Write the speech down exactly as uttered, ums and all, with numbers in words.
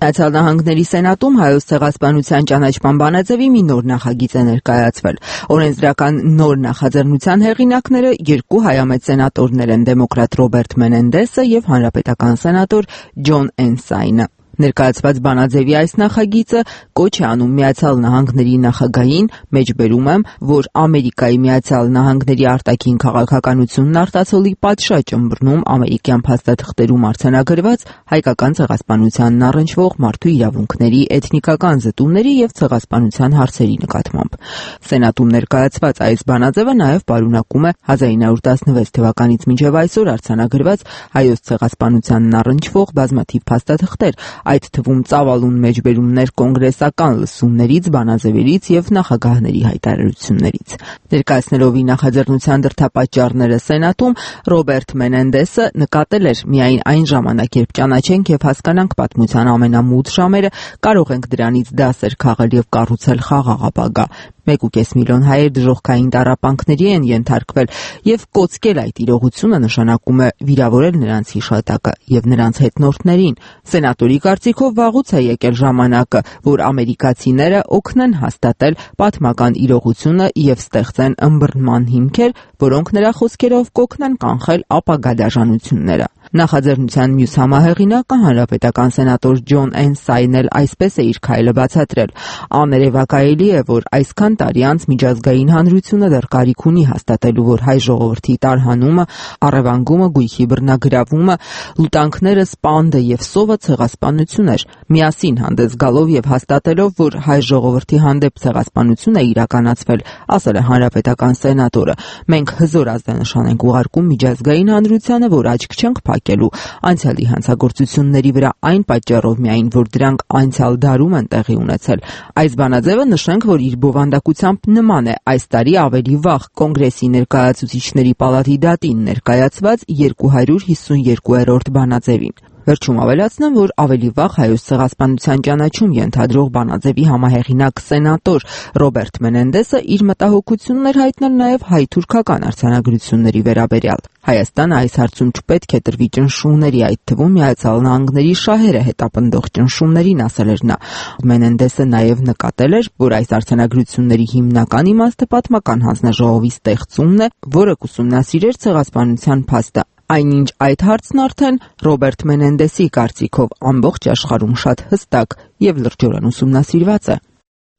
Միացյալ Նահանգների Սենատում Հայոց ցեղասպանության ճանաչման բանաձևի մի նոր նախագիծ է ներկայացվել։ Օրենսդրական նոր նախաձեռնության հեղինակները երկու հայամետ սենատորներ են՝ դեմոկրատ Ռոբերտ Մենենդեսը եւ հանրապետական սենատոր Ջոն Էնսայնը։ Ներկայացված բանաձևի այս նախագիծը կոչ է անում Միացյալ Նահանգների նախագահին, մեջբերում եմ, որ Ամերիկայի Միացյալ Նահանգների արտաքին քաղաքականությունն արտացոլի պատշաճ ըմբռնում ամերիկյան փաստաթղթերում արձանագրված հայկական ցեղասպանությանն առնչվող մարդու իրավունքների, էթնիկական զտումների եւ ցեղասպանության հարցերի նկատմամբ։ Սենատում ներկայացված այս բանաձևը նաեւ պարունակում է հազար ինը հարյուր տասնվեց թվականից մինչև այսօր արձանագրված հայոց ցեղասպանությանն առնչվող բազմաթիվ փաստաթղթեր, այդ թվում ծավալուն մեջբերումներ կոնգրեսական լսումներից, բանաձևերից եւ նախագահների հայտարարություններից։ Ներկայացնելով իր նախաձեռնության դրդապատճառները Սենատում, Ռոբերտ Մենենդեսը նկատել էր միայն այն ժամանակ, երբ ճանաչենք եւ հասկանանք պատմության ամենամութ ժամերը, կարող ենք դրանից դասեր քաղել եւ կառուցել խաղաղ ապագա։ Մեկ ու կես միլիոն հայեր դժոխքային տառապանքների են ենթարկվել եւ կոծկել այդ իրողությունը նշանակում է վիրավորել նրանց հիշատակը եւ նրանց հետնորդներին։ Սենատորի կարծիքով վաղուց է եկել ժամանակը, որ ամերիկացիները օգնեն հաստատել պատմական իրողությունը եւ ստեղծեն ըմբռնման հիմքեր, որոնք նրա խոսքերով կօգնեն կանխել ապագա դաժանությունները։ Նախաձեռնության մյուս համահեղինակը հանրապետական սենատոր Ջոն Էնսայնն էլ այսպես է իր քայլը բացատրել։ Աներևակայելի է, որ այսքան տարի անց միջազգային հանրությունը դեռ կարիք ունի հաստատելու, որ հայ ժողովրդի տարհանումը, առևանգումը, գույքի բռնագրավումը, լուտանքները, սպանդը եւ սովը ցեղասպանություն էր։ Միասին հանդես գալով եւ հաստատելով, որ հայ ժողովրդի հանդեպ ցեղասպանություն է իրականացվել, ասել է հանրապետական սենատորը, մենք հզոր ազդանշան ենք ուղարկում միջազգային հանրությանը, որ աչք չենք փակելու անցյալի հանցագործությունների վրա այն պատճառով միայն, որ դրանք անցյալ դարում են տեղի ունեցել։ Այս բանաձևը նշենք, որ իր բովանդակությամբ նման է այս տարի ավելի վաղ Կոնգրեսի ներկայացուցիչների պալատի դատին ներկայացված երկու հարյուր հիսունյոթերորդ բանաձևին։ Վերջում ավելացնեմ, որ ավելի վաղ հայոց ցեղասպանության ճանաչում ենթադրող բանաձևի համահեղինակ սենատոր Ռոբերտ Մենենդեսը իր մտահոգությունն էր հայտնել նաև հայ-թուրքական արձանագրությունների վերաբերյալ։ Հայաստանը այս հարցում չպետք է տրվի ճնշումների, այդ թվում Միացյալ Նահանգների շահերը հետապնդող ճնշումներին, ասել էր նա։ Մենենդեսը նաև նկատել էր, որ այս արձանագրությունների հիմնական իմաստը պատմական հանձնաժողովի ստեղծումն է, որը կուսումնասիրեր ցեղասպանության փաստը։ Այնինչ այդ հարցն արդեն Ռոբերտ Մենենդեսի կարծիքով ամբողջ աշխարհում շատ հստակ եւ լրջորեն ուսումնասիրված է։